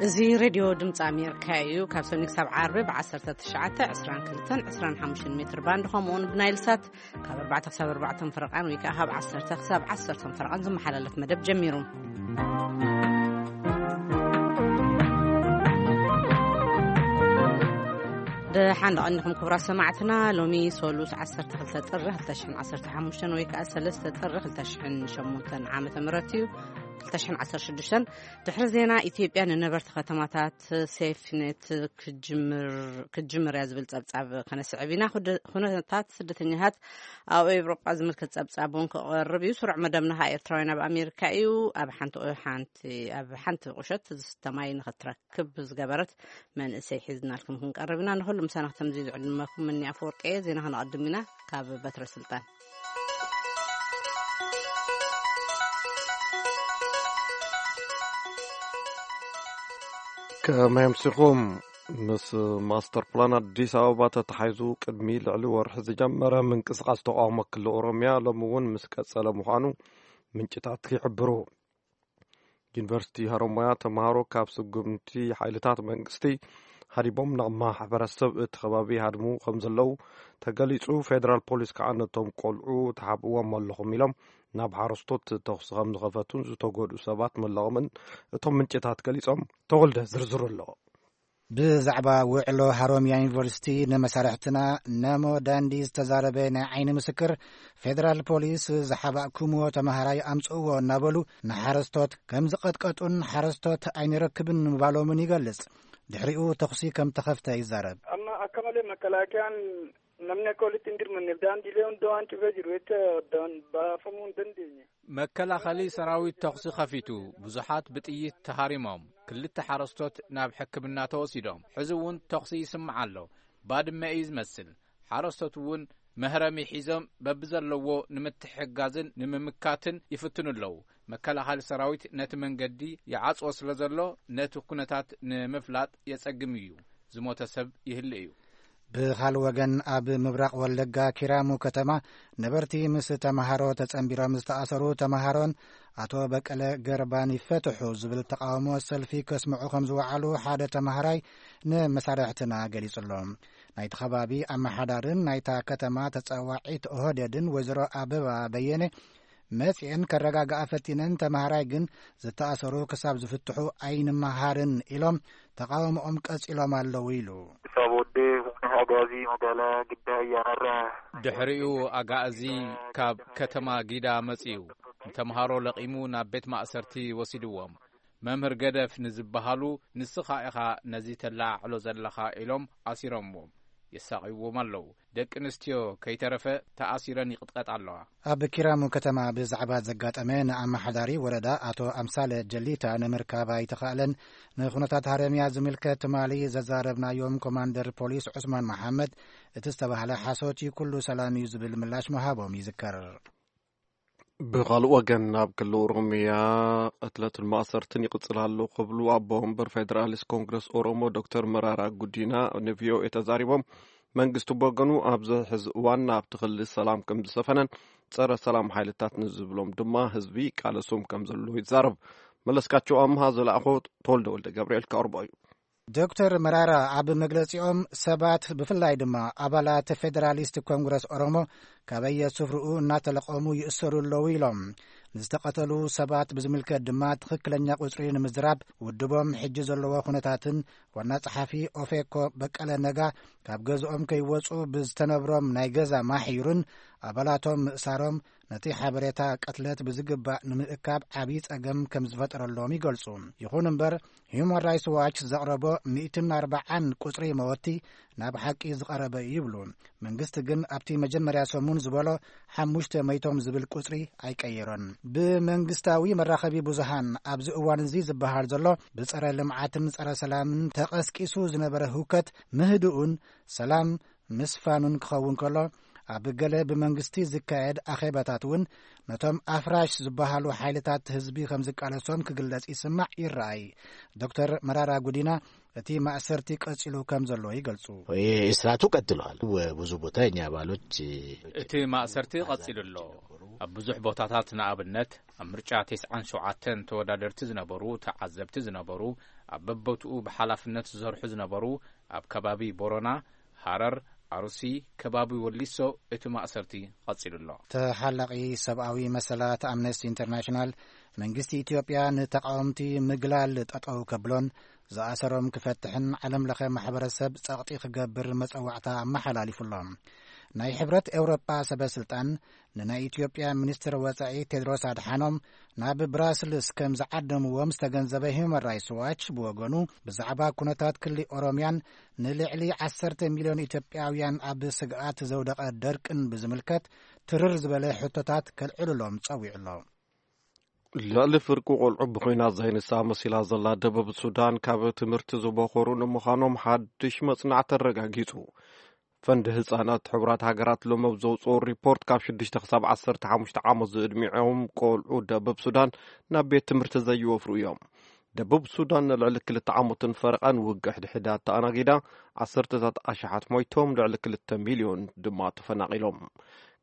እዚ ሬድዮ ድምፂ ኣሜሪካ እዩ። ካብ ሰኒ ክሳብ ዓርቢ ብ19፣ 22፣ 25 ሜትር ባንድ፣ ከምኡውን ብናይል ሳት ካብ ኣርባዕተ ክሳብ ኣርባዕተ ፈረቓን ወይ ከዓ ካብ ዓሰርተ ክሳብ ዓሰርተ ፈረቓን ዝመሓላለፍ መደብ ጀሚሩ። ደሓን ደቐኒኹም ክቡራት ሰማዕትና። ሎሚ ሶሉስ ዓሰርተ ክልተ ጥሪ ክልተ ሽሕን ዓሰርተ ሓሙሽተን ወይ ከዓ ሰለስተ ጥሪ ክልተ ሽሕን ሸሞንተን ዓመተ ምህረት እዩ። ክልተ ሽሕን ዓሰርተ ሽዱሽተን። ድሕሪ ዜና ኢትዮጵያ ንነበርቲ ከተማታት ሴፍቲኔት ክጅምር፣ ክጅምር እያ ዝብል ጸብጻብ ከነስዕብ ኢና። ኩደ-፣ ኩነታት ስደተኛታት ኣብ ኤውሮጳ ዝምልከት ጸብጻብ እውን ክቐርብ እዩ። ስሩዕ መደብና ኸኣ ኤርትራውያን ኣብ ኣሜሪካ እዩ። ኣብ ሓንቲ፣ ሓንቲ፣ ኣብ ሓንቲ ቁሸት ዝስተ ማይ ንኽትረክብ ዝገበረት መንእሰይ ሒዝናልኩም ክንቀርብ ኢና። ንኹሉ ምሳና ክተምዝዩ ዝዕድመኩም እኒ ኣፈወርቂ እየ። ዜና ከነቐድም ኢና ካብ በትረ ስልጣን። ከመይ ኣምሲኹም? ምስ ማስተር ፕላን ኣዲስ ኣበባ ተተሓይዙ ቅድሚ ልዕሊ ወርሒ ዝጀመረ ምንቅስቓስ ተቃውሞ ክልል ኦሮምያ ሎሚ እውን ምስ ቀጸለ ምዃኑ ምንጭታት ይሕብሩ። ዩኒቨርሲቲ ሃሮማያ ተምሃሮ ካብ ስጉምቲ ሓይልታት መንግስቲ ሃዲቦም ናብ ማሕበረሰብ እቲ ከባቢ ሃድሙ ከም ዘለዉ ተገሊጹ። ፌደራል ፖሊስ ከዓ ነቶም ቆልዑ ተሓብእዎም ኣለኹም ኢሎም ናብ ሓረስቶት ተኹሲ ከም ዝኸፈቱን ዝተጎድኡ ሰባት መለቖምን እቶም ምንጭታት ገሊጾም። ተወልደ ዝርዝሩ ኣሎ። ብዛዕባ ውዕሎ ሃሮምያ ዩኒቨርሲቲ ንመሳርሕትና ነሞ ዳንዲ ዝተዛረበ ናይ ዓይኒ ምስክር፣ ፌደራል ፖሊስ ዝሓባእኩምዎ ተማሃራይ ኣምጽእዎ እናበሉ ንሓረስቶት ከም ዝቐጥቀጡን ሓረስቶት ኣይንረክብን ምባሎምን ይገልጽ። ድሕሪኡ ተኹሲ ከም ተኸፍተ ይዛረብ። Amma akka malee makalaakaan namni akka walitti hin dirmanneef daandiilee hunda waan cufee jiru jecha addaan baafamuu hin dandeenye. መከላኸሊ ሰራዊት ተኹሲ ከፊቱ፣ ብዙሓት ብጥይት ተሃሪሞም። ክልተ ሓረስቶት ናብ ሕክምና ተወሲዶም። ሕዚ እውን ተኹሲ ይስማዕ ኣሎ። ባድመ እዩ ዝመስል። ሓረስቶት እውን መህረሚ ሒዞም በብዘለዎ ንምትሕጋዝን ንምምካትን ይፍትኑ ኣለዉ። መከላኸሊ ሰራዊት ነቲ መንገዲ ይዓጽዎ ስለ ዘሎ፣ ነቲ ኩነታት ንምፍላጥ የጸግም እዩ። ዝሞተ ሰብ ይህሉ እዩ። ብኻልእ ወገን፣ ኣብ ምብራቕ ወለጋ ኪራሙ ከተማ ነበርቲ ምስ ተምሃሮ ተጸንቢሮም ዝተኣሰሩ ተምሃሮን ኣቶ በቀለ ገርባን ይፈትሑ ዝብል ተቃውሞ ሰልፊ ከስምዑ ከም ዝወዓሉ ሓደ ተምሃራይ ንመሳርሕትና ገሊጹ ኣሎ። ናይቲ ከባቢ ኣመሓዳርን ናይታ ከተማ ተጸዋዒት ኦህዴድን ወይዘሮ ኣበባ በየነ መጺኤን ከረጋግኣ ፈቲነን፣ ተምሃራይ ግን ዝተኣሰሩ ክሳብ ዝፍትሑ ኣይንመሃርን ኢሎም ተቃውሞኦም ቀጺሎም ኣለዉ ኢሉ። Isaa booddee humni Agaazii magaalaa Giddaa Ayyaanarraa ድሕሪኡ ኣጋእዚ ካብ ከተማ ጊዳ መጺኡ ንተምሃሮ ለቒሙ ናብ ቤት ማእሰርቲ ወሲድዎም። መምህር ገደፍ ንዝበሃሉ፣ "ንስኻ ኢኻ ነዚ ተለዓዕሎ ዘለኻ" ኢሎም ኣሲሮምዎም የሳቕይዎም ኣለዉ። ደቂ ኣንስትዮ ከይተረፈ ተኣሲረን ይቕጥቀጣ ኣለዋ። ኣብ ኪራሙ ከተማ ብዛዕባ ዘጋጠመ ንኣመሓዳሪ ወረዳ ኣቶ ኣምሳለ ጀሊታ ንምርካብ ኣይተኻእለን። ንኩነታት ሃረምያ ዝምልከት ትማሊ ዘዛረብናዮም ኮማንደር ፖሊስ ዑስማን መሓመድ፣ እቲ ዝተባህለ ሓሶት እዩ፣ ኩሉ ሰላም እዩ ዝብል ምላሽ ምሃቦም ይዝከር። ብኻልእ ወገን፣ ኣብ ክልል ኦሮምያ ቅትለትን ማእሰርትን ይቕጽል ኣሎ ክብሉ ኣቦ ወንበር ፌደራሊስት ኮንግረስ ኦሮሞ ዶክተር መራራ ጉዲና ንቪኦኤ ተዛሪቦም። መንግስቲ ብወገኑ ኣብዚ ሕዚ እዋን ኣብቲ ክልል ሰላም ከም ዝሰፈነን ጸረ ሰላም ሓይልታት ንዝብሎም ድማ ህዝቢ ይቃለሶም ከም ዘሎ ይዛረብ። መለስካቸው ኣምሃ ዝለኣኾ ተወልደ ወልደ ገብርኤል ከቕርቦ እዩ። ዶክተር መራራ ኣብ መግለጺኦም፣ ሰባት ብፍላይ ድማ ኣባላት ፌደራሊስት ኮንግረስ ኦሮሞ ካበየ ስፍርኡ እናተለቐሙ ይእሰሩ ኣለዉ ኢሎም። ንዝተቐተሉ ሰባት ብዝምልከት ድማ ትኽክለኛ ቁጽሪ ንምዝራብ ውድቦም ሕጂ ዘለዎ ኩነታትን ዋና ጸሓፊ ኦፌኮ በቀለ ነጋ ካብ ገዝኦም ከይወጹ ብዝተነብሮም ናይ ገዛ ማሕዩርን ኣባላቶም ምእሳሮም ነቲ ሓበሬታ ቅትለት ብዝግባእ ንምእካብ ዓብዪ ጸገም ከም ዝፈጠረሎም ይገልጹ። ይኹን እምበር፣ ሂዩማን ራይትስ ዋች ዘቕረቦ ሚእትን ኣርባዓን ቁጽሪ መወቲ ናብ ሓቂ ዝቐረበ እዩ ይብሉ። መንግስቲ ግን ኣብቲ መጀመርያ ሰሙን ዝበሎ ሓሙሽተ መይቶም ዝብል ቁጽሪ ኣይቀየሮን። ብመንግስታዊ መራኸቢ ብዙሃን ኣብዚ እዋን እዚ ዝበሃል ዘሎ ብጸረ ልምዓትን ጸረ ሰላምን ተቐስቂሱ ዝነበረ ህውከት ምህድኡን ሰላም ምስፋኑን ክኸውን ከሎ፣ ኣብ ገለ ብመንግስቲ ዝካየድ ኣኼባታት እውን ነቶም ኣፍራሽ ዝበሃሉ ሓይልታት ህዝቢ ከም ዝቃለሶም ክግለጽ ይስማዕ ይረኣይ። ዶክተር መራራ ጉዲና እቲ ማእሰርቲ ቀጺሉ ከም ዘሎ ይገልጹ። ስርዓቱ ቀጥሏል። ብዙ ቦታ የኛ አባሎች እቲ ማእሰርቲ ቀጺሉ ኣሎ። ኣብ ብዙሕ ቦታታት፣ ንኣብነት ኣብ ምርጫ ተስዓን ሸውዓተን ተወዳደርቲ ዝነበሩ፣ ተዓዘብቲ ዝነበሩ፣ ኣብ በቦትኡ ብሓላፍነት ዝሰርሑ ዝነበሩ ኣብ ከባቢ ቦረና፣ ሃረር፣ ኣሩሲ፣ ከባቢ ወሊሶ እቲ ማእሰርቲ ቀጺሉ ኣሎ። ተሓላቒ ሰብኣዊ መሰላት ኣምነስቲ ኢንተርናሽናል፣ መንግስቲ ኢትዮጵያ ንተቓወምቲ ምግላል ጠጠው ከብሎን ዝኣሰሮም ክፈትሕን ዓለም ለኸ ማሕበረሰብ ጸቕጢ ክገብር መጸዋዕታ ኣመሓላሊፉ ኣሎ። ናይ ሕብረት ኤውሮጳ ሰበ ስልጣን ንናይ ኢትዮጵያ ሚኒስትር ወጻኢ ቴድሮስ ኣድሓኖም ናብ ብራስልስ ከም ዝዓደምዎም ዝተገንዘበ ሂውማን ራይትስ ዋች ብወገኑ፣ ብዛዕባ ኩነታት ክሊ ኦሮምያን ንልዕሊ ዓሰርተ ሚልዮን ኢትዮጵያውያን ኣብ ስግኣት ዘውደቐ ደርቅን ብዝምልከት ትርር ዝበለ ሕቶታት ከልዕሉሎም ጸዊዑ ኣሎ። ልዕሊ ፍርቂ ቆልዑ ብኹናት ዘይንሳ መሲላ ዘላ ደቡብ ሱዳን ካብ ትምህርቲ ዝበኾሩ ንምዃኖም ሓድሽ መጽናዕቲ ኣረጋጊጹ። ፈንድ ህጻናት ሕቡራት ሃገራት ሎም ኣብ ዘውጽኦ ሪፖርት ካብ ሽዱሽተ ክሳብ ዓሰርተ ሓሙሽተ ዓመት ዝዕድሚዖም ቆልዑ ደቡብ ሱዳን ናብ ቤት ትምህርቲ ዘይወፍሩ እዮም። ደቡብ ሱዳን ንልዕሊ ክልተ ዓመትን ፈረቓን ውግእ ሕድሕዳ ተኣናጊዳ ዓሰርተታት ኣሽሓት ሞይቶም ልዕሊ ክልተ ሚልዮን ድማ ተፈናቒሎም።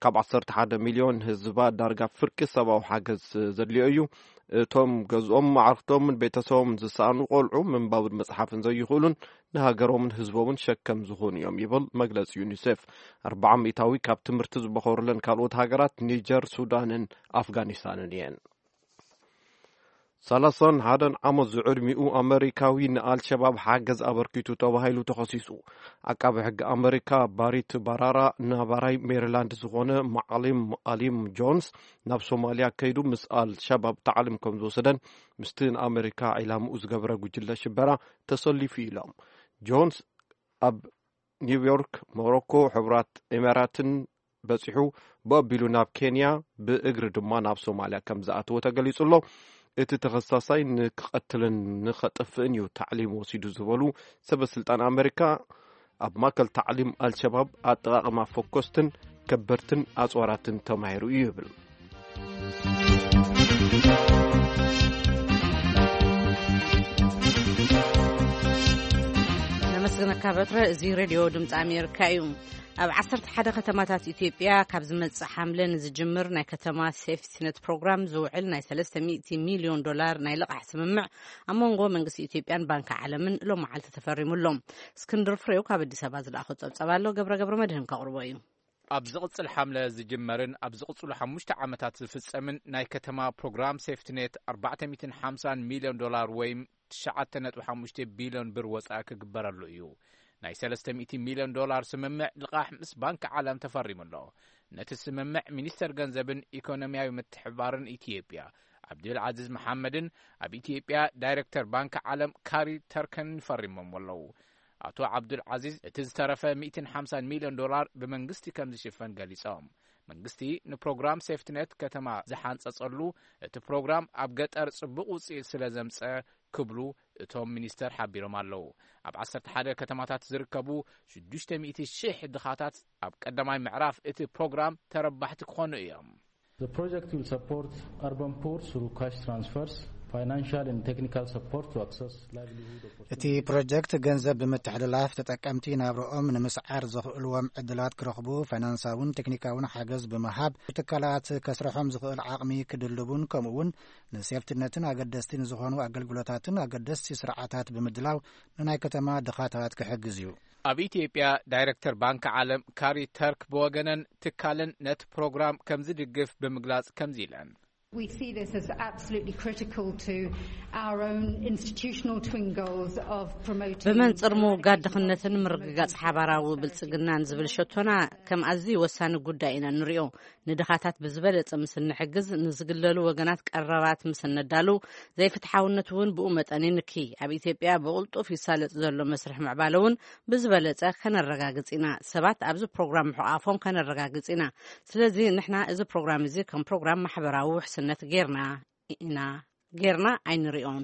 ካብ ዓሰርተ ሓደ ሚልዮን ህዝባ ዳርጋ ፍርቂ ሰብኣዊ ሓገዝ ዘድልዮ እዩ። እቶም ገዝኦም፣ ማዕርክቶምን ቤተሰቦምን ዝሰኣኑ ቆልዑ ምንባብን መጽሓፍን ዘይኽእሉን ንሃገሮምን ህዝቦምን ሸከም ዝኾኑ እዮም ይብል መግለጺ ዩኒሴፍ። ኣርብዓ ሚእታዊ ካብ ትምህርቲ ዝበኾሩለን ካልኦት ሃገራት ኒጀር፣ ሱዳንን ኣፍጋኒስታንን እየን። ሰላሳን ሓደን ዓመት ዝዕድሚኡ ኣመሪካዊ ንኣልሸባብ ሓገዝ ኣበርኪቱ ተባሂሉ ተኸሲሱ። ዓቃቢ ሕጊ ኣመሪካ ባሪት ባራራ ናባራይ ሜሪላንድ ዝኾነ ማዓሊም ኣሊም ጆንስ ናብ ሶማልያ ከይዱ ምስ ኣልሸባብ ታዕሊም ከም ዝወሰደን ምስቲ ንኣመሪካ ዒላምኡ ዝገበረ ጉጅለ ሽበራ ተሰሊፉ ኢሎም። ጆንስ ኣብ ኒውዮርክ፣ ሞሮኮ፣ ሕቡራት ኢማራትን በጺሑ ብኣቢሉ ናብ ኬንያ ብእግሪ ድማ ናብ ሶማልያ ከም ዝኣተወ ተገሊጹ ኣሎ። እቲ ተኸሳሳይ ንክቐትልን ንኸጥፍእን እዩ ታዕሊም ወሲዱ ዝበሉ ሰበ ስልጣን ኣመሪካ፣ ኣብ ማእከል ታዕሊም ኣልሸባብ ኣጠቓቕማ ፈኮስትን ከበድትን ኣጽዋራትን ተማሂሩ እዩ ይብል። ነመስግነካ በትረ። እዚ ሬድዮ ድምፂ ኣሜሪካ እዩ። ኣብ ዓሰርተ ሓደ ከተማታት ኢትዮጵያ ካብ ዝመጽእ ሓምለ ንዝጅምር ናይ ከተማ ሴፍቲነት ፕሮግራም ዝውዕል ናይ ሰለስተ ሚእቲ ሚልዮን ዶላር ናይ ልቓሕ ስምምዕ ኣብ መንጎ መንግስቲ ኢትዮጵያን ባንኪ ዓለምን ሎም መዓልቲ ተፈሪሙ ኣሎ። እስክንድር ፍሬው ካብ ኣዲስ ኣበባ ዝለኣኾ ጸብጸብ ኣሎ። ገብረ ገብረ መድህን ከቕርቦ እዩ። ኣብ ዝቕጽል ሓምለ ዝጅመርን ኣብ ዝቕጽሉ ሓሙሽተ ዓመታት ዝፍጸምን ናይ ከተማ ፕሮግራም ሴፍቲኔት ኣርባዕተ ሚእትን ሓምሳን ሚልዮን ዶላር ወይ ትሽዓተ ነጥቢ ሓሙሽተ ቢልዮን ብር ወጻኢ ክግበረሉ እዩ። ናይ ሰለስተ ሚእቲ ሚልዮን ዶላር ስምምዕ ልቓሕ ምስ ባንኪ ዓለም ተፈሪሙ ኣሎ። ነቲ ስምምዕ ሚኒስተር ገንዘብን ኢኮኖሚያዊ ምትሕብባርን ኢትዮጵያ ዓብዱል ዓዚዝ መሓመድን ኣብ ኢትዮጵያ ዳይሬክተር ባንኪ ዓለም ካሪ ተርከን ፈሪሞም ኣለዉ። ኣቶ ዓብዱል ዓዚዝ እቲ ዝተረፈ ሚእትን ሓምሳን ሚልዮን ዶላር ብመንግስቲ ከም ዝሽፈን ገሊጾም። መንግስቲ ንፕሮግራም ሴፍቲኔት ከተማ ዝሓንጸጸሉ እቲ ፕሮግራም ኣብ ገጠር ጽቡቕ ውጽኢት ስለ ዘምጸ ክብሉ እቶም ሚኒስተር ሓቢሮም ኣለዉ። ኣብ ዓሰርተ ሓደ ከተማታት ዝርከቡ ሽዱሽተ ሚእቲ ሽሕ ድኻታት ኣብ ቀዳማይ ምዕራፍ እቲ ፕሮግራም ተረባሕቲ ክኾኑ እዮም። The project will support urban poor through cash transfers, financial and technical support to access livelihood opportunities. እቲ ፕሮጀክት ገንዘብ ብምትሕልላፍ ተጠቀምቲ ናብርኦም ንምስዓር ዘኽእልዎም ዕድላት ክረኽቡ ፋይናንሳውን ቴክኒካውን ሓገዝ ብምሃብ ትካላት ከስርሖም ዝኽእል ዓቕሚ ክድልቡን ከምኡውን ንሴፍትነትን ኣገደስቲ ንዝኾኑ ኣገልግሎታትን ኣገደስቲ ስርዓታት ብምድላው ንናይ ከተማ ድኻታት ክሕግዝ እዩ። ኣብ ኢትዮጵያ ዳይሬክተር ባንኪ ዓለም ካሪ ተርክ ብወገነን ትካለን ነቲ ፕሮግራም ከም ዝድግፍ ብምግላጽ ከምዚ ኢለን። We see this as absolutely critical to our own institutional twin goals of promoting ብመንጽር ምውጋድ ድኽነትን ምርግጋጽ ሓባራዊ ብልጽግናን ዝብል ሸቶና ከም ኣዝዩ ወሳኒ ጉዳይ ኢና ንሪኦ። ንድኻታት ብዝበለጸ ምስ እንሕግዝ፣ ንዝግለሉ ወገናት ቀረባት ምስ እነዳሉ፣ ዘይፍትሓውነት እውን ብኡ መጠን ይንኪ። ኣብ ኢትዮጵያ ብቕልጡፍ ይሳለጥ ዘሎ መስርሕ ምዕባለ እውን ብዝበለጸ ከነረጋግጽ ኢና። ሰባት ኣብዚ ፕሮግራም ምሕቋፎም ከነረጋግጽ ኢና። ስለዚ ንሕና እዚ ፕሮግራም እዚ ከም ፕሮግራም ማሕበራዊ ውሕስነት ጌርና ኢና፣ ጌርና ኣይንሪኦን።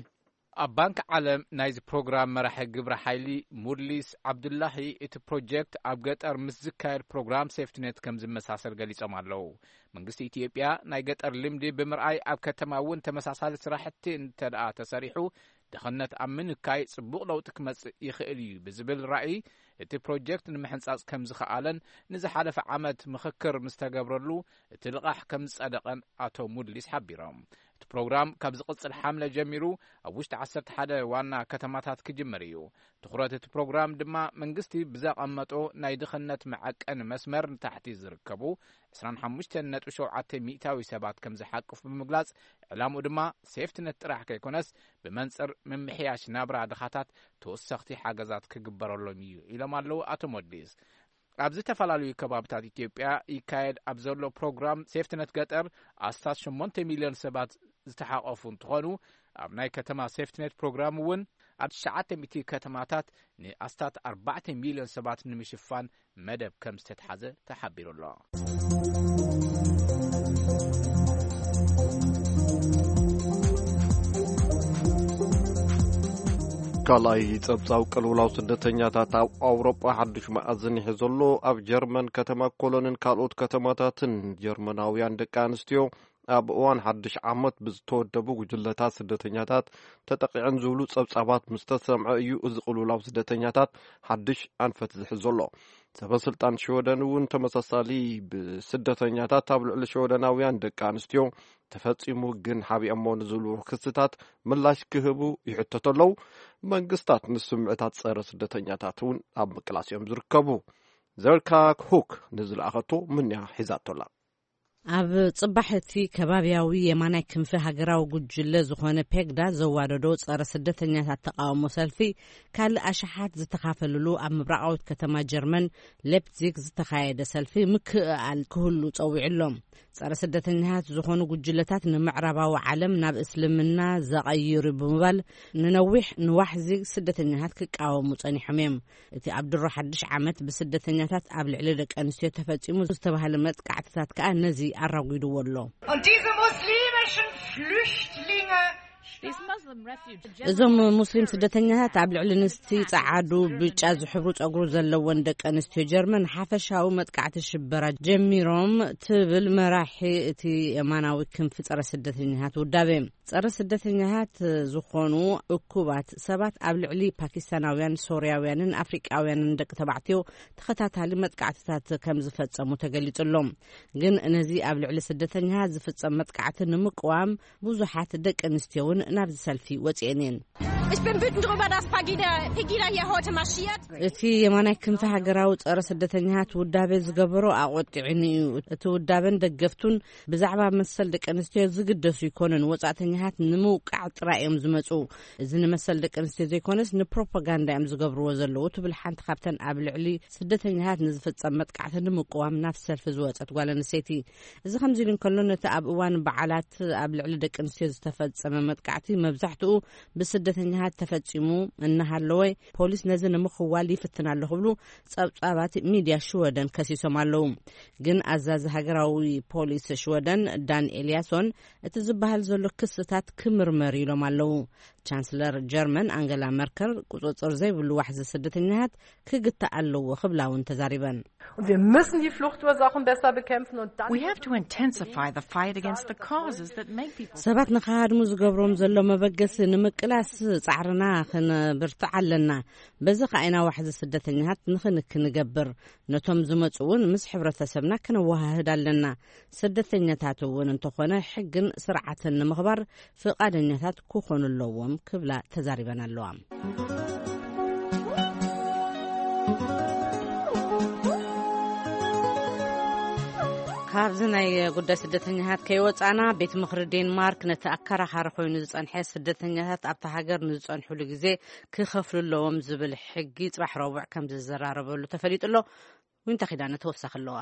ኣብ ባንክ ዓለም ናይዚ ፕሮግራም መራሒ ግብረ ሓይሊ ሙድሊስ ዓብዱላሂ፣ እቲ ፕሮጀክት ኣብ ገጠር ምስ ዝካየድ ፕሮግራም ሴፍትኔት ከም ዝመሳሰል ገሊጾም ኣለዉ። መንግስቲ ኢትዮጵያ ናይ ገጠር ልምዲ ብምርኣይ ኣብ ከተማ እውን ተመሳሳሊ ስራሕቲ እንተ ደኣ ተሰሪሑ ድኽነት ኣብ ምንካይ ጽቡቕ ለውጢ ክመጽእ ይኽእል እዩ ብዝብል ራእይ እቲ ፕሮጀክት ንምሕንጻጽ ከም ዝኸኣለን ንዝሓለፈ ዓመት ምኽክር ምስ ተገብረሉ እቲ ልቓሕ ከም ዝጸደቐን ኣቶ ሙድሊስ ሓቢሮም። እቲ ፕሮግራም ካብ ዝቕጽል ሓምለ ጀሚሩ ኣብ ውሽጢ ዓሰርተ ሓደ ዋና ከተማታት ክጅምር እዩ። ትኹረት እቲ ፕሮግራም ድማ መንግስቲ ብዘቐመጦ ናይ ድኽነት መዐቀኒ መስመር ንታሕቲ ዝርከቡ ዕስራን ሓሙሽተን ነጥቢ ሸውዓተ ሚእታዊ ሰባት ከም ዝሓቅፍ ብምግላጽ፣ ዕላምኡ ድማ ሴፍትነት ጥራሕ ከይኮነስ ብመንጽር ምምሕያሽ ናብራ ድኻታት ተወሰኽቲ ሓገዛት ክግበረሎም እዩ ኢሎም ኣለዉ ኣቶ ሞዲስ። ኣብ ዝተፈላለዩ ከባብታት ኢትዮጵያ ይካየድ ኣብ ዘሎ ፕሮግራም ሴፍትነት ገጠር ኣስታት ሸሞንተ ሚልዮን ሰባት ዝተሓቐፉ እንትኾኑ፣ ኣብ ናይ ከተማ ሴፍትነት ፕሮግራም እውን ኣብ ትሽዓተ ሚእቲ ከተማታት ንኣስታት ኣርባዕተ ሚልዮን ሰባት ንምሽፋን መደብ ከም ዝተትሓዘ ተሓቢሩ ኣሎ። ካልኣይ ጸብጻብ ቅልውላው ስደተኛታት ኣብ ኣውሮጳ ሓድሽ መኣዝን ይሕዞ ኣሎ። ኣብ ጀርመን ከተማ ኮሎንን ካልኦት ከተማታትን ጀርመናውያን ደቂ ኣንስትዮ ኣብ እዋን ሓድሽ ዓመት ብዝተወደቡ ጉጅለታት ስደተኛታት ተጠቒዐን ዝብሉ ጸብጻባት ምስ ተሰምዐ እዩ እዚ ቅልውላው ስደተኛታት ሓድሽ ኣንፈት ዝሕዝ ዘሎ። ሰበ ስልጣን ሽወደን እውን ተመሳሳሊ ብስደተኛታት ኣብ ልዕሊ ሽወደናውያን ደቂ ኣንስትዮ ተፈጺሙ ግን ሓቢኦሞ ንዝብሉ ክስታት ምላሽ ክህቡ ይሕተቱ ኣለዉ። መንግስታት ንስምዕታት ጸረ ስደተኛታት እውን ኣብ ምቅላስ እዮም ዝርከቡ። ዘርካ ሁክ ንዝለኣኸቶ ምንያ ሒዛቶ ኣላ። ኣብ ጽባሕ እቲ ከባብያዊ የማናይ ክንፊ ሃገራዊ ጉጅለ ዝኾነ ፔግዳ ዘዋደዶ ጸረ ስደተኛታት ተቃውሞ ሰልፊ ካልእ ኣሽሓት ዝተኻፈልሉ ኣብ ምብራቓዊት ከተማ ጀርመን ሌፕዚግ ዝተኻየደ ሰልፊ ምክእኣል ክህሉ ጸዊዑ ኣሎ። ጸረ ስደተኛታት ዝኾኑ ጉጅለታት ንምዕራባዊ ዓለም ናብ እስልምና ዘቐይሩ ብምባል ንነዊሕ ንዋሕዚ ስደተኛታት ክቃወሙ ጸኒሖም እዮም። እቲ ኣብ ድሮ ሓድሽ ዓመት ብስደተኛታት ኣብ ልዕሊ ደቂ ኣንስትዮ ተፈጺሙ ዝተባህለ መጥቃዕትታት ከኣ ነዚ ኣራጒድዎ ኣሎ። Und diese muslimischen Flüchtlinge እዞም ሙስሊም ስደተኛታት ኣብ ልዕሊ ንስቲ ጸዓዱ ብጫ ዝሕብሩ ጸጉሩ ዘለወን ደቂ ኣንስትዮ ጀርመን ሓፈሻዊ መጥቃዕቲ ሽበራ ጀሚሮም ትብል መራሒ እቲ የማናዊ ክንፊ ጸረ ስደተኛታት ውዳቤ። ጸረ ስደተኛታት ዝኾኑ እኩባት ሰባት ኣብ ልዕሊ ፓኪስታናውያን፣ ሶርያውያንን ኣፍሪቃውያንን ደቂ ተባዕትዮ ተኸታታሊ መጥቃዕትታት ከም ዝፈጸሙ ተገሊጹ ኣሎ። ግን ነዚ ኣብ ልዕሊ ስደተኛታት ዝፍጸም መጥቃዕቲ ንምቅዋም ብዙሓት ደቂ ኣንስትዮ እውን ናብዚ ሰልፊ ወጺኤን እየን። Ich bin wütend darüber, dass Pegida, Pegida hier heute marschiert. እቲ የማናይ ክንፊ ሃገራዊ ጸረ ስደተኛታት ውዳቤ ዝገበሮ ኣቆጢዑኒ እዩ። እቲ ውዳበን ደገፍቱን ብዛዕባ መሰል ደቂ ኣንስትዮ ዝግደሱ ኣይኮኑን። ወጻእተኛታት ንምውቃዕ ጥራይ እዮም ዝመጹ። እዚ ንመሰል ደቂ ኣንስትዮ ዘይኮነስ ንፕሮፓጋንዳ እዮም ዝገብርዎ ዘለዉ ትብል ሓንቲ ካብተን ኣብ ልዕሊ ስደተኛታት ንዝፍጸም መጥቃዕቲ ንምቅዋም ናብ ሰልፊ ዝወጸት ጓል ኣንስተይቲ። እዚ ከምዚ ኢሉ እንከሎ፣ ነቲ ኣብ እዋን በዓላት ኣብ ልዕሊ ደቂ ኣንስትዮ ዝተፈጸመ መጥቃዕቲ መብዛሕትኡ ብስደተኛታት ተፈጺሙ እናሃለወ፣ ፖሊስ ነዚ ንምኽዋል ይፍትን ኣሎ ክብሉ ጸብጻባት ሚድያ ሽወደን ከሲሶም ኣለዉ። ግን ኣዛዚ ሃገራዊ ፖሊስ ሽወደን ዳን ኤልያሶን እቲ ዝበሃል ዘሎ ክስታት ክምርመር ኢሎም ኣለዉ። ቻንስለር ጀርመን ኣንገላ መርከል ቁጽጽር ዘይብሉ ዋሕዚ ስደተኛታት ክግታእ ኣለዎ ክብላ እውን ተዛሪበን። Und wir müssen die Fluchtursachen besser bekämpfen und dann We have to intensify the fight against the causes that make people. ሰባት ንኸሃድሙ ዝገብሮም ዘሎ መበገሲ ንምቅላስ ጻዕርና ክንብርትዕ ኣለና። በዚ ከኣ ኢና ዋሕዚ ስደተኛታት ንኽንክ ንገብር። ነቶም ዝመጹ እውን ምስ ሕብረተሰብና ክነወሃህድ ኣለና። ስደተኛታት እውን እንተኾነ ሕግን ስርዓትን ንምኽባር ፍቓደኛታት ክኾኑ ኣለዎም ክብላ ተዛሪበን ኣለዋ። ካብዚ ናይ ጉዳይ ስደተኛታት ከይወጻና፣ ቤት ምኽሪ ዴንማርክ ነቲ ኣከራኻሪ ኮይኑ ዝጸንሐ ስደተኛታት ኣብታ ሃገር ንዝጸንሕሉ ግዜ ክኸፍሉ ኣለዎም ዝብል ሕጊ ጽባሕ ረቡዕ ከም ዝዘራረበሉ ተፈሊጡ ኣሎ። ዊንታ ኪዳነ ተወሳኺ ኣለዋ።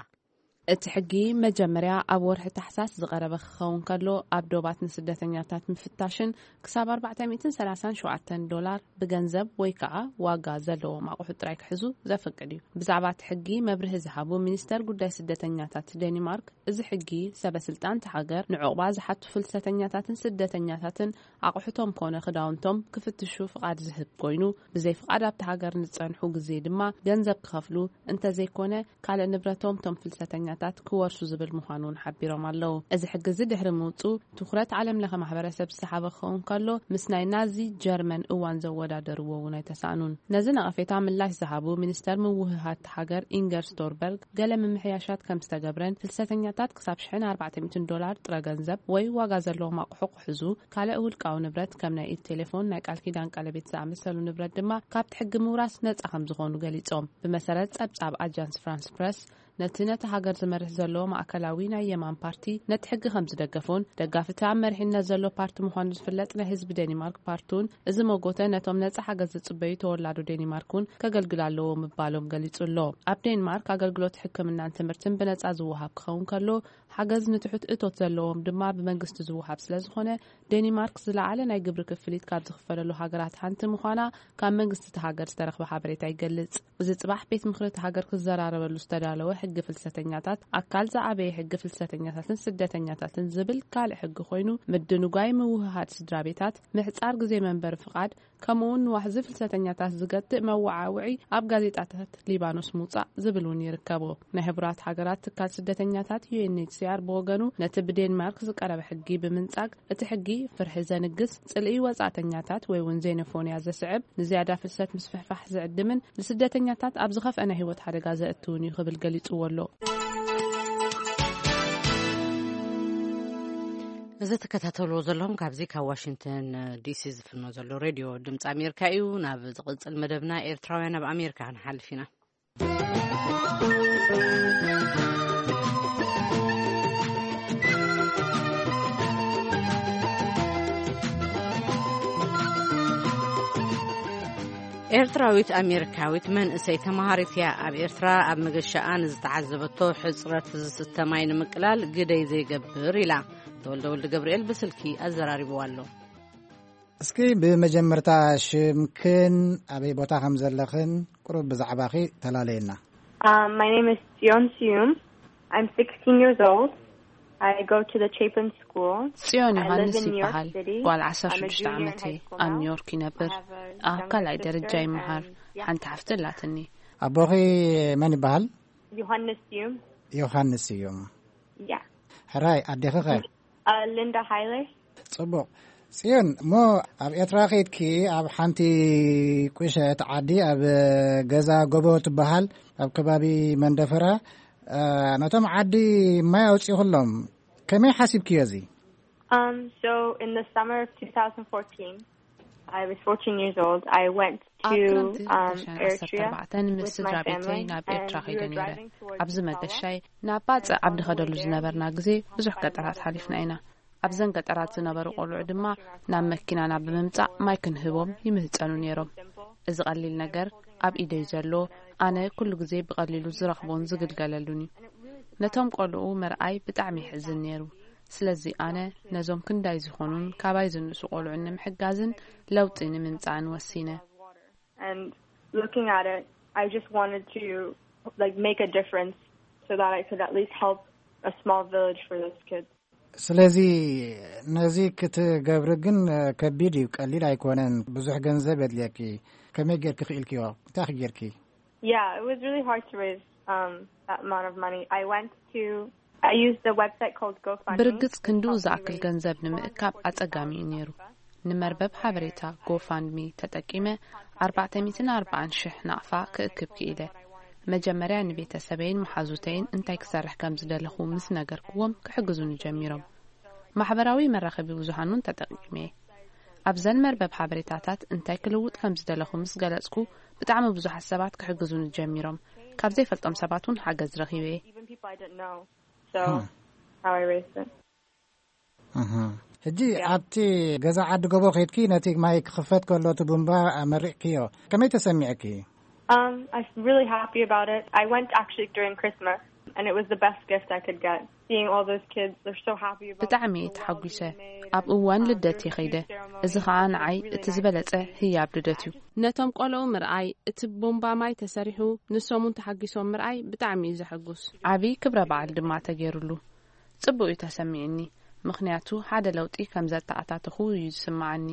እቲ ሕጊ መጀመርያ ኣብ ወርሒ ታሕሳስ ዝቐረበ ክኸውን ከሎ፣ ኣብ ዶባት ንስደተኛታት ምፍታሽን ክሳብ ኣርባዕተ ሚእትን ሰላሳን ሸውዓተን ዶላር ብገንዘብ ወይ ከዓ ዋጋ ዘለዎም ኣቑሑት ጥራይ ክሕዙ ዘፍቅድ እዩ። ብዛዕባ እቲ ሕጊ መብርሂ ዝሃቡ ሚኒስተር ጉዳይ ስደተኛታት ዴኒማርክ፣ እዚ ሕጊ ሰበ ስልጣን እቲ ሃገር ንዕቑባ ዝሓቱ ፍልሰተኛታትን ስደተኛታትን ኣቑሑቶም ኮነ ክዳውንቶም ክፍትሹ ፍቓድ ዝህብ ኮይኑ፣ ብዘይ ፍቓድ ኣብቲ ሃገር ንዝጸንሑ ግዜ ድማ ገንዘብ ክኸፍሉ፣ እንተዘይኮነ ካልእ ንብረቶም እቶም ፍልሰተኛታት ታት ክወርሱ ዝብል ምዃኑ እውን ሓቢሮም ኣለዉ። እዚ ሕጊ እዚ ድሕሪ ምውፅኡ ትኹረት ዓለም ለኸ ማሕበረሰብ ዝሰሓበ ክኸውን ከሎ፣ ምስ ናይ ናዚ ጀርመን እዋን ዘወዳደርዎ እውን ኣይተሳእኑን። ነዚ ነቐፌታ ምላሽ ዝሃቡ ሚኒስተር ምውህሃድ ሃገር ኢንገር ስቶርበርግ፣ ገለ ምምሕያሻት ከም ዝተገብረን ፍልሰተኛታት ክሳብ ሽሕን ኣርባዕተ ሚእትን ዶላር ጥረ ገንዘብ ወይ ዋጋ ዘለዎም ኣቑሑ ክሕዙ፣ ካልእ ውልቃዊ ንብረት ከም ናይ ኢድ ቴሌፎን፣ ናይ ቃል ኪዳን ቀለቤት ዝኣመሰሉ ንብረት ድማ ካብቲ ሕጊ ምውራስ ነጻ ከም ዝኾኑ ገሊጾም። ብመሰረት ጸብጻብ ኣጃንስ ፍራንስ ፕረስ፣ ነቲ ነቲ ሃገር ዝመርሕ ዘሎ ማእከላዊ ናይ የማን ፓርቲ ነቲ ሕጊ ከም ዝደገፎን ደጋፊ እቲ ኣብ መሪሕነት ዘሎ ፓርቲ ምዃኑ ዝፍለጥ ናይ ህዝቢ ዴኒማርክ ፓርቲውን እዚ መጎተ ነቶም ነጻ ሓገዝ ዝጽበዩ ተወላዶ ዴኒማርክ እውን ከገልግል ኣለዎ ምባሎም ገሊጹ ኣሎ። ኣብ ዴንማርክ ኣገልግሎት ሕክምናን ትምህርትን ብነጻ ዝወሃብ ክኸውን ከሎ፣ ሓገዝ ንትሑት እቶት ዘለዎም ድማ ብመንግስቲ ዝወሃብ ስለ ዝኾነ፣ ዴኒማርክ ዝለዓለ ናይ ግብሪ ክፍሊት ካብ ዝኽፈለሉ ሃገራት ሓንቲ ምዃና ካብ መንግስቲ እቲ ሃገር ዝተረኽበ ሓበሬታ ይገልጽ። እዚ ጽባሕ ቤት ምኽሪ እቲ ሃገር ክዘራረበሉ ዝተዳለወ ሕጊ ፍልሰተኛታት፣ ኣካል ዝዓበየ ሕጊ ፍልሰተኛታትን ስደተኛታትን ዝብል ካልእ ሕጊ ኮይኑ፣ ምድንጓይ ምውህሃድ ስድራ ቤታት፣ ምሕጻር ግዜ መንበሪ ፍቓድ፣ ከምኡውን ንዋሕዚ ፍልሰተኛታት ዝገትእ መወዓውዒ ኣብ ጋዜጣታት ሊባኖስ ምውጻእ ዝብል እውን ይርከቦ። ናይ ሕቡራት ሃገራት ትካል ስደተኛታት ዩ ኤን ኤች ሲ ኣር ብወገኑ ነቲ ብዴንማርክ ዝቀረበ ሕጊ ብምንጻግ፣ እቲ ሕጊ ፍርሒ ዘንግስ፣ ጽልኢ ወጻእተኛታት ወይ እውን ዜኖፎንያ ዘስዕብ፣ ንዝያዳ ፍልሰት ምስፍሕፋሕ ዝዕድምን ንስደተኛታት ኣብ ዝኸፍአ ናይ ህይወት ሓደጋ ዘእትውን እዩ ክብል ገሊጽዎ ኣሎ። እዚ ትከታተልዎ ዘለኹም ካብዚ ካብ ዋሽንግተን ዲሲ ዝፍኖ ዘሎ ሬድዮ ድምፂ ኣሜሪካ እዩ። ናብ ዝቕጽል መደብና ኤርትራውያን ኣብ ኣሜሪካ ክንሓልፍ ኢና። ኤርትራዊት ኣሜሪካዊት መንእሰይ ተመሃሪት እያ። ኣብ ኤርትራ ኣብ መገሻኣ ንዝተዓዘበቶ ሕጽረት ዝስተ ማይ ንምቅላል ግደይ ዘይገብር ኢላ። ተወልደ ወልደ ገብርኤል ብስልኪ ኣዘራሪብዋ ኣሎ። እስኪ ብመጀመርታ ሽምክን ኣበይ ቦታ ከም ዘለኽን ቁሩብ ብዛዕባኺ ተላለየና። Um, my name is Sion Sium. I'm sixteen years old. I go to the Chapin School. ጽዮን I live ዮሃንስ in New York ይበሃል። City. ጓል I'm a ዓሰርተ ሽዱሽተ junior in ዓመት high እየ። School ኣብ now. ኒውዮርክ ይነብር። I have a ኣብ younger ካልኣይ ደረጃ sister ይመሃር። And yeah, ሓንቲ ሓፍቲ ኣላትኒ። ኣቦኺ መን ይበሃል? Johannes Sium. ዮሃንስ ስዩም። Yeah. ሕራይ፣ ኣዴኺ ኸ? Uh, Linda Heiler. ጽቡቕ። ጽዮን፣ እሞ ኣብ ኤርትራ ኸይድኪ ኣብ ሓንቲ ቁሸት ዓዲ ኣብ ገዛ ጎቦ ትበሃል ኣብ ከባቢ መንደፈራ፣ እ፣ ነቶም ዓዲ ማይ ኣውጺኹሎም። ከመይ ሓሲብክዮ እዚ? Um, so in the summer of two thousand fourteen, I was fourteen years old. I went ኣብ to ክረምቲ um, ክልተ ሽሕን ዓሰርተ ኣርባዕተን ምስ Eritrea with ስድራ my ቤተይ family, ናብ ኤርትራ and we ከይደ were ነይረ። Driving towards ኣብዚ Massawa. መገሻይ ናብ ባጽዕ ኣብ ንኸደሉ ዝነበርና ግዜ ብዙሕ ገጠራት ሓሊፍና ኢና። ኣብዘን ገጠራት ዝነበሩ ቆልዑ ድማ ናብ መኪናና ብምምጻእ ማይ ክንህቦም ይምህጸኑ ነይሮም። እዚ ቀሊል ነገር ኣብ ኢደይ ዘሎ፣ ኣነ ኩሉ ግዜ ብቐሊሉ ዝረኽቦን ዝግልገለሉን እዩ። ነቶም ቆልዑ ምርኣይ ብጣዕሚ ይሕዝን ነይሩ። ስለዚ ኣነ ነዞም ክንዳይ ዝኾኑን ካባይ ዝንእሱ ቆልዑን ንምሕጋዝን ለውጢ ንምምጻእን ወሲነ። And looking at it, I just wanted to, like, make a difference so that I could at least help a small village for those kids. ስለዚ ነዚ ክትገብሪ ግን ከቢድ እዩ፣ ቀሊል ኣይኮነን። ብዙሕ ገንዘብ የድልየኪ። ከመይ ጌርኪ ክኢልክዮ? እንታይ ጌርኪ? Yeah, it was really hard to raise um, that amount of money. I went to, I used the website called GoFundMe. ብርግጽ ክንድኡ ዝኣክል ገንዘብ ንምእካብ ኣጸጋሚ እዩ ነይሩ። ንመርበብ ሓበሬታ ጎፋንድሚ ተጠቂመ ኣርባዕተ ሚእትን ኣርባዓን ሽሕ ናቕፋ ክእክብ ክኢለ። መጀመርያ ንቤተሰበይን መሓዙተይን እንታይ ክሰርሕ ከም ዝደለኹ ምስ ነገርክዎም ክሕግዙኒ ጀሚሮም። ማሕበራዊ መራኸቢ ብዙሃን እውን ተጠቂመ። ኣብዘን መርበብ ሓበሬታታት እንታይ ክልውጥ ከም ዝደለኹ ምስ ገለጽኩ፣ ብጣዕሚ ብዙሓት ሰባት ክሕግዙኒ ጀሚሮም። ካብ ዘይፈልጦም ሰባት እውን ሓገዝ ረኺበ። Even people I didn't know. So, Hmm. How I raised it. እህ። ሕጂ Yeah. ኣብቲ ገዛ ዓዲ ጎቦ ኸይድኪ ነቲ ማይ ክኽፈት ከሎ እቲ ቡምባ ኣመሪቕክዮ። ከመይ ተሰሚዕኪ? Um, I'm really happy about it. I went actually during Christmas, and it was the best gift I could get. Seeing all those kids, they're so happy about ብጣዕሚ እየ ተሓጒሰ። ኣብ እዋን ልደት እየ ኸይደ። እዚ ኸዓ ንዓይ እቲ ዝበለጸ ህያብ ልደት እዩ። ነቶም ቆልዑ ምርኣይ፣ እቲ ቦምባ ማይ ተሰሪሑ፣ ንሶም እውን ተሓጒሶም ምርኣይ ብጣዕሚ እዩ ዘሐጉስ። ዓቢ ክብረ በዓል ድማ ተገይሩሉ። ጽቡቕ እዩ ተሰሚዕኒ፣ ምኽንያቱ ሓደ ለውጢ ከም ዘተኣታተኹ እዩ ዝስምዓኒ።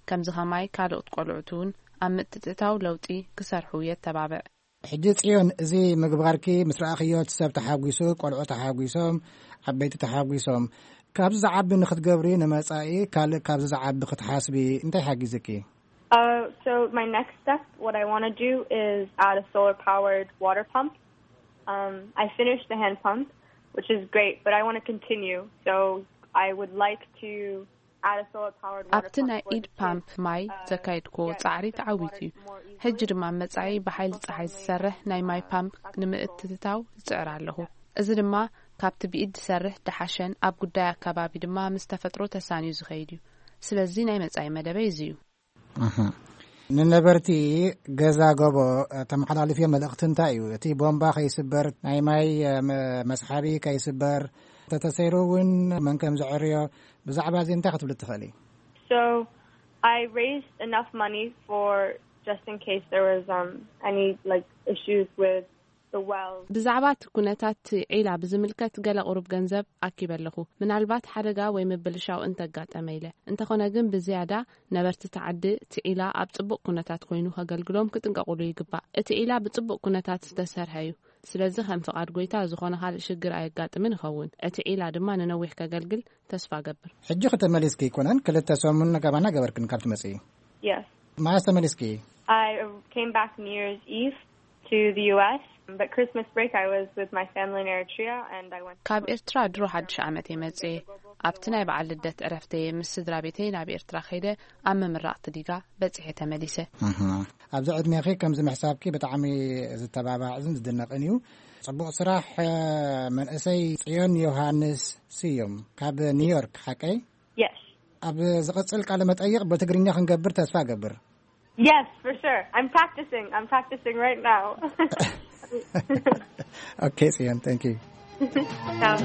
ከምዚ ኸማይ ካልኦት ቆልዑት እውን ኣብ ምትእትታው ለውጢ ክሰርሑ የተባብዕ። ሕጂ ጽዮን፣ እዚ ምግባርኪ ምስ ረኣኽዮ፣ እቲ ሰብ ተሓጒሱ፣ ቆልዑ ተሓጒሶም፣ ዓበይቲ ተሓጒሶም፣ ካብዚ ዝዓቢ ንኽትገብሪ፣ ንመጻኢ ካልእ ካብዚ ዝዓቢ ክትሓስቢ እንታይ ሓጊዝኪ? Uh, so my next step, what I want to do is add a solar powered water pump. Um, I finished the hand pump, which is great, but I want to continue. So I would like to add a solar powered water ኣብቲ ናይ ኢድ ፓምፕ ማይ ዘካየድክዎ ጻዕሪ ተዓዊቱ እዩ። ሕጂ ድማ መጻኢ ብሓይሊ ጸሓይ ዝሰርሕ ናይ ማይ ፓምፕ ንምእትታው ዝጽዕር ኣለኹ። እዚ ድማ ካብቲ ብኢድ ዝሰርሕ ደሓሸን ኣብ ጉዳይ ኣከባቢ ድማ ምስ ተፈጥሮ ተሳንዩ ዝኸይድ እዩ። ስለዚ ናይ መጻኢ መደበይ እዚ እዩ። ንነበርቲ ገዛ ጎቦ ተመሓላልፍዮ መልእኽቲ እንታይ እዩ? እቲ ቦምባ ከይስበር፣ ናይ ማይ መስሓቢ ከይስበር፣ እንተተሰይሩ እውን መን ከም ዘዕርዮ፣ ብዛዕባ እዚ እንታይ ክትብሊ ትኽእሊ? So I raised enough money for just in case there was um any like issues with the wells. ብዛዕባ እቲ ኩነታት ዒላ ብዝምልከት ገለ ቁሩብ ገንዘብ ኣኪበ ኣለኹ፣ ምናልባት ሓደጋ ወይ ምብልሻው እንተጋጠመ ኢለ። እንተኾነ ግን ብዝያዳ ነበርቲ እቲ ዓዲ እቲ ዒላ ኣብ ጽቡቕ ኩነታት ኮይኑ ከገልግሎም ክጥንቀቑሉ ይግባእ። እቲ ዒላ ብጽቡቕ ኩነታት ዝተሰርሐ እዩ። ስለዚ ከም ፍቓድ ጎይታ ዝኾነ ካልእ ሽግር ኣየጋጥምን ይኸውን። እቲ ዒላ ድማ ንነዊሕ ከገልግል ተስፋ እገብር። ሕጂ ከተመሊስኪ ኣይኮነን፣ ክልተ ሰሙን ገባና ገበርክን ካብ ትመጽኢ። Yes. መዓስ ተመሊስኪ? I came back New Year's Eve to the U S, but Christmas break I was with my family in Eritrea and I went to ካብ ኤርትራ ድሮ ሓድሽ ዓመት እየ መጽኤ። ኣብቲ ናይ በዓል ልደት ዕረፍተየ ምስ ስድራ ቤተይ ናብ ኤርትራ ከይደ ኣብ ምምራቕ ትዲጋ በጺሐ ተመሊሰ። ኣብዚ ዕድሜኺ ከምዚ ምሕሳብኪ ብጣዕሚ ዝተባባዕን ዝድነቕን እዩ። ጽቡቕ ስራሕ። መንእሰይ ጽዮን ዮሃንስ ስዩም ካብ ኒውዮርክ፣ ሓቀይ? Yes. ኣብ ዝቕጽል ቃለ መጠይቕ ብትግርኛ ክንገብር ተስፋ እገብር። Yes, for sure. I'm practicing. I'm practicing right now. Okay, Sian, thank you. Ciao.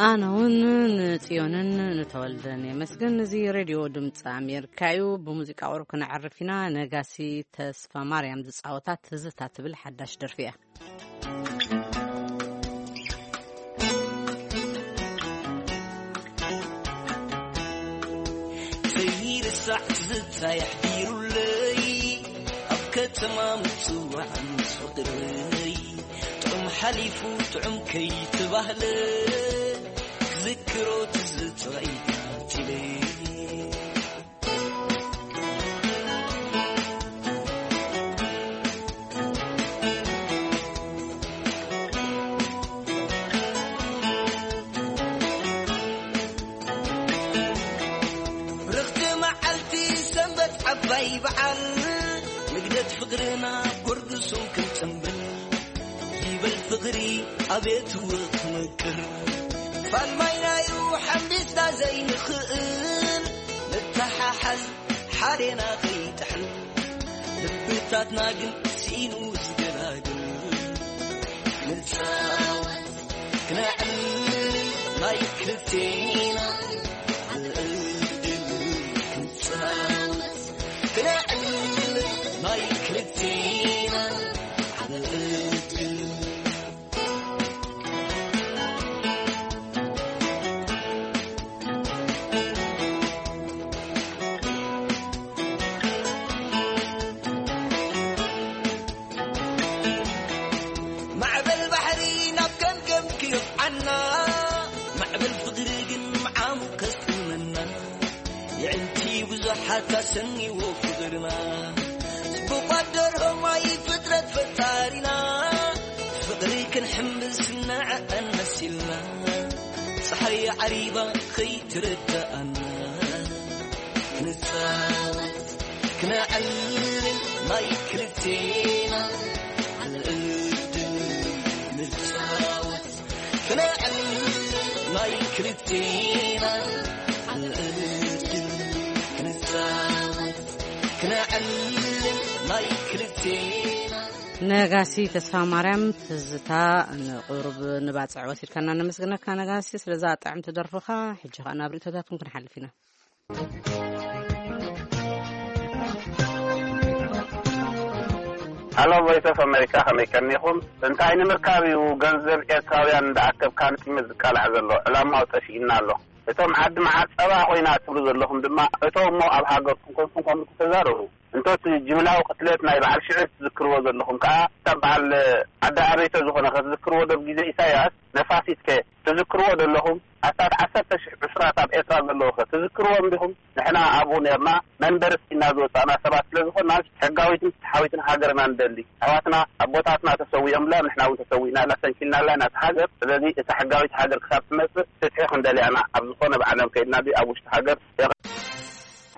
ኣነ እውን ንጽዮንን ንተወልደን የመስግን። እዚ ሬድዮ ድምፂ ኣሜሪካ እዩ። ብሙዚቃ ቁሩብ ክነዕርፍ ኢና። ነጋሲ ተስፋ ማርያም ዝፃወታ ትዝታ ትብል ሓዳሽ ደርፊ እያ። ከይርሳዕ ትዝታ የሕዲሩለይ ኣብ ከተማ ምፅዋዕ ምስ ፍቅረይ ጥዑም ሓሊፉ ጥዑም ከይተባህለ ክዝክሮ ትዝታ ይታትለይ። ዓባይ በዓል ንግደት ፍቕርና ጎርግሱም ክንጽምብል ይበል ፍቕሪ ኣቤት ውኽምቅር ፋልማይናዩ ሓምቢስና ዘይንኽእል ንተሓሓዝ ሓዴና ከይጥሕል ልብታትና ግን ስኢኑ ዝገላግል ንጻወት ክነዕልል ናይ ክልቴና ዕድል ክንጻወት ክነዕልል ናይ ክልቴና ዕድል። ሓታ ሰኒዎ ፍቕርና ጽቡቕ ኣደርሆ ማይ ፍጥረት ፈጣሪና ፍቕሪ ክንሕምብስ ንዐቐን መሲልና ጸሓይ ዓሪባ ከይትረዳኣና ንጻወት ክነዕልል ማይ ክልቴና ዕድል ንጻወት ክነዕልል ማይ ክልቴና ዕድል ክንጻወት ክነዕልል ማይ ክልቴና። ነጋሲ ተስፋ ማርያም ትዝታ ንቁሩብ ንባጽዕ ወሲድካና ነመስግነካ ነጋሲ ስለዛ ጥዕምቲ ደርፍኻ። ሕጂ ኸኣ ናብ ርእቶታትኩም ክንሓልፍ ኢና። Hello Voice of America፣ ከመይ ቀኒኹም? እንታይ ንምርካብ እዩ ገንዘብ ኤርትራውያን እንዳኣከብካ ንጥሜት ዝቃላዕ ዘሎ? ዕላማኡ ጠፊእና ኣሎ። እቶም ዓዲ መዓር ጸባ ኮይና ትብሉ ዘለኹም ድማ እቶም እሞ ኣብ ሃገርኩም ኮንኩም ከምኡ ተዛረቡ። እንተቲ ጅምላዊ ቅትለት ናይ በዓል ሽዑ ትዝክርዎ ዘለኹም ከኣ እታ በዓል ዓዲ ኣበይተ ዝኾነ ከትዝክርዎ ዶ ግዜ ኢሳያስ ነፋሲት ከ ትዝክርዎ ዘለኹም ኣስታት ዓሰርተ ሽሕ ዕስራት ኣብ ኤርትራ ዘለዉ ከ ትዝክርዎም ዲኹም? ንሕና ኣብኡ ኔርና መንበሪ ስኢና ዝወጻእና ሰባት ስለ ዝኾንና ሕጋዊትን ፍትሓዊትን ሃገርና ንደሊ። ኣሕዋትና ኣቦታትና ተሰዊኦምላ ንሕና እውን ተሰዊእናላ ሰንኪልናላ ኢና እታ ሃገር። ስለዚ እታ ሕጋዊት ሃገር ክሳብ ትመጽእ ፍትሒ ክንደልያ ኢና። ኣብ ዝኾነ ብዓለም ከይድና ድዩ ኣብ ውሽጢ ሃገር የቐ-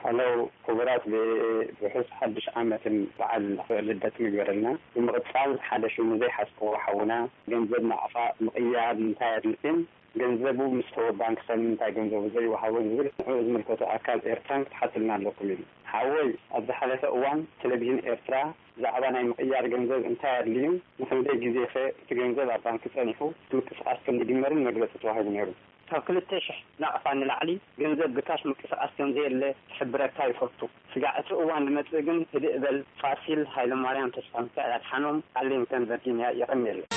ሀሎ ክቡራት ቪኦኤ ርሑስ ሓድሽ ዓመትን በዓል ልደትን ይግበረልና። ብምቕጻል ሓደ ሽሙ ዘይሓዝክዎ ሓውና ገንዘብ ናቕፋ ምቕያር ንምንታይ ኣድልክን ገንዘቡ ምስ ተወ ባንክ ሰብ ንምንታይ ገንዘቡ ዘይወሃቦ ዝብል ንዕኡ ዝምልከቶ ኣካል ኤርትራን ክትሓትልና ኣለኩም ኢሉ። ሓወይ ኣብ ዝሓለፈ እዋን ቴሌቪዥን ኤርትራ ብዛዕባ ናይ ምቕያር ገንዘብ እንታይ ኣድልዩ ንክንደይ ግዜኸ እቲ ገንዘብ ኣብ ባንክ ጸኒሑ ምንቅስቓስ ከም ዝጅመርን መግለጺ ተዋሂቡ ነይሩ። ካብ ክልተ ሽሕ ናቕፋ ንላዕሊ ገንዘብ ብካሽ ምንቅስቓስ ከም ዘየለ ክሕብረካ ይፈቱ። ስጋዕ እቲ እዋን ዝመጽእ ግን ህድእ በል። ፋሲል ሃይለማርያም ተስፋሚካኤል ኣድሓኖም ኣርሊንግተን ቨርጂንያ። የቐንየለይ።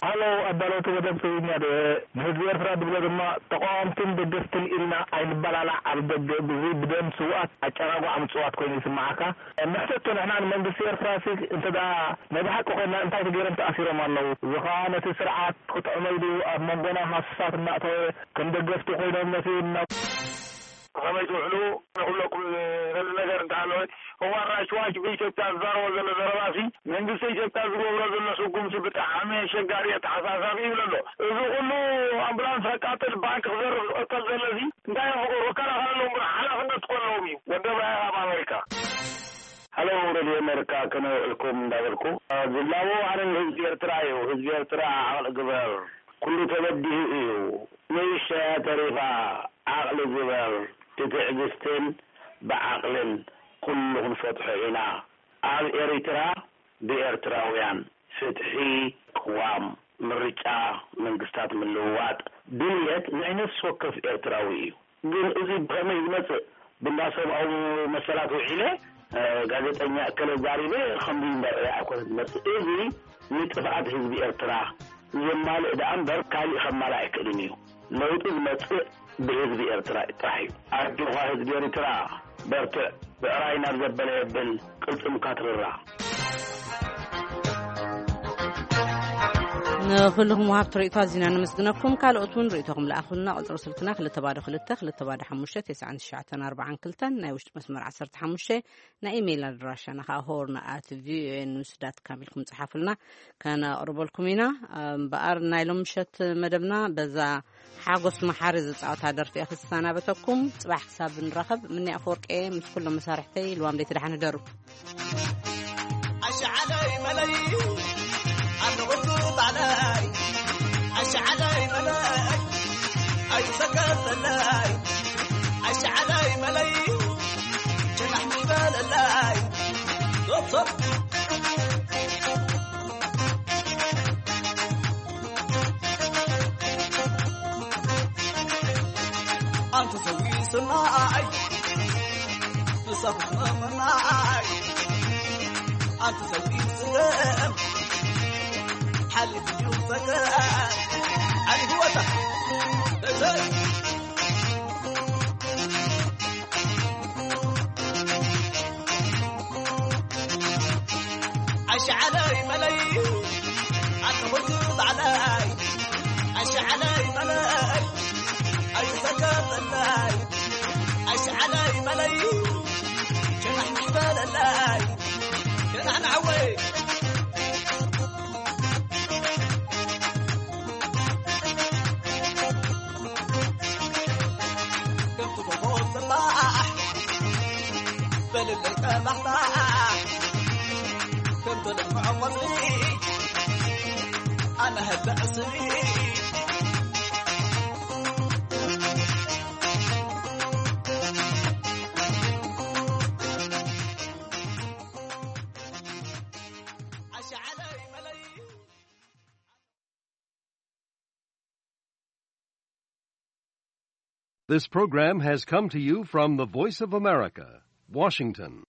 ሃሎ ኣዳለውቲ መደብ ትግርኛ ዶ ንህዝቢ ኤርትራ ድብሎ ድማ ተቃወምትን ደገፍትን ኢልና ኣይንበላላዕ ኣብ ደገ ብዙይ ብደም ስውኣት ኣጨራጓዕ ምጽዋት ኮይኑ ይስምዓካ። ንሕተቶ ንሕና ንመንግስቲ ኤርትራ ሲ እንተ ደኣ ናይ ብሓቂ ኮይንና እንታይ ተገይሮም ተኣሲሮም ኣለዉ እዚ ከኣ ነቲ ስርዓት ክጥዕሞ ኢሉ ኣብ መንጎና ሃሱሳት እናእተወ ከም ደገፍቲ ኮይኖም ነቲ ናብ ብኸመይ ትውዕሉ ንኽብለኩም ዝደሊ ነገር እንተሃለወ፣ እዋን ራይት ዋች ብኢትዮጵያ ዝዛረቦ ዘሎ ዘረባሲ መንግስቲ ኢትዮጵያ ዝገብሮ ዘሎ ስጉምቲ ብጣዕሚ ኣሸጋሪ ኣተሓሳሳቢ ይብል ኣሎ። እዚ ኩሉ ኣምቡላንስ ከቃጥል ባንክ ክዘርፍ ዝቐተል ዘሎ እዚ እንታይ እዮም ክገብሩ? ክከላኸለሎም እምበር ሓላፍነት እኮ ኣለዎም እዩ። ወደብ ኣብ ኣሜሪካ። ሃሎ ሬድዮ ኣሜሪካ ከመይ ውዕልኩም እንዳበልኩ ዝላቦ ኣነ ንህዝቢ ኤርትራ እዩ። ህዝቢ ኤርትራ ዓቕሊ ግበር። ኩሉ ተበዲሁ እዩ። ንእሽተያ ተሪፋ ዓቕሊ ግበር። ብትዕግስትን ብዓቕልን ኩሉ ክንፈትሖ ኢና። ኣብ ኤሪትራ ብኤርትራውያን ፍትሒ፣ ቅዋም፣ ምርጫ፣ መንግስታት ምልውዋጥ ድልየት ናይ ነፍሲ ወከፍ ኤርትራዊ እዩ። ግን እዚ ብኸመይ ዝመጽእ ብእንዳ ሰብኣዊ መሰላት ውዒለ ጋዜጠኛ እከለ ዛሪበ ከምዚ እምበር ኣይኮነ ዝመጽእ። እዚ ንጥፍኣት ህዝቢ ኤርትራ ዘማልእ ደኣ እምበር ካሊእ ከማልእ ኣይክእልን እዩ። ለውጢ ዝመጽእ ብህዝቢ ኤርትራ ጥራሕ እዩ። ኣጆኻ ህዝቢ ኤርትራ በርትዕ፣ ብዕራይ ናብ ዘበለ የብል ቅልጽምካ ትርራ። ንኹልኹም ወሃብቲ ርእይቶ ኣዚና ነመስግነኩም። ካልኦት እውን ርእይቶኹም ለኣኹልና። ቁጽሪ ስልክና ክልተ ባዶ ክልተ ክልተ ባዶ ሓሙሽተ ተስዓን ትሽዓተን ኣርባዓን ክልተን፣ ናይ ውሽጢ መስመር ዓሰርተ ሓሙሽተ፣ ናይ ኢሜይል ኣድራሻና ከዓ ሆርን ኣት ቪኦኤ ኒውስ ዳት ካም ኢልኩም ጽሓፉልና፣ ከነቕርበልኩም ኢና። እምበኣር ናይ ሎም ምሸት መደብና በዛ ሓጎስ መሓሪ ዝጻወታ ደርፊ እየ ክሰናበተኩም። ጽባሕ ክሳብ ንራኸብ ምንያ ኣፈወርቂ እየ ምስ ኩሎም መሳርሕተይ። ልዋም ደይቲ ደሓን ህደሩ። ኣሸዓለይ መለይ ኣለኹ ባዕለይ ኣሸዓለይ መለይ ኣይሰከፈለይ ኣሸዓለይ መለይ ሸናሕ ምበለለይ ዶክተር ኣንተ ሰዊ ስናይ ንሰኽመመናይ ኣንተ ሰዊ ስለም ሓሊፍ ዩ ፈገር ዓሊ ህወታ እዘይ ኣሸዓለይ መለይ ኣተኹልኩ ባዕለይ ኣሸዓለይ መለይ ኣይሰከፈለይ ኣሸዓለይ መለይ ሸናሕ ይበለለይ ሸናሕ ንዓወይ This program has come to you from the Voice of America, Washington.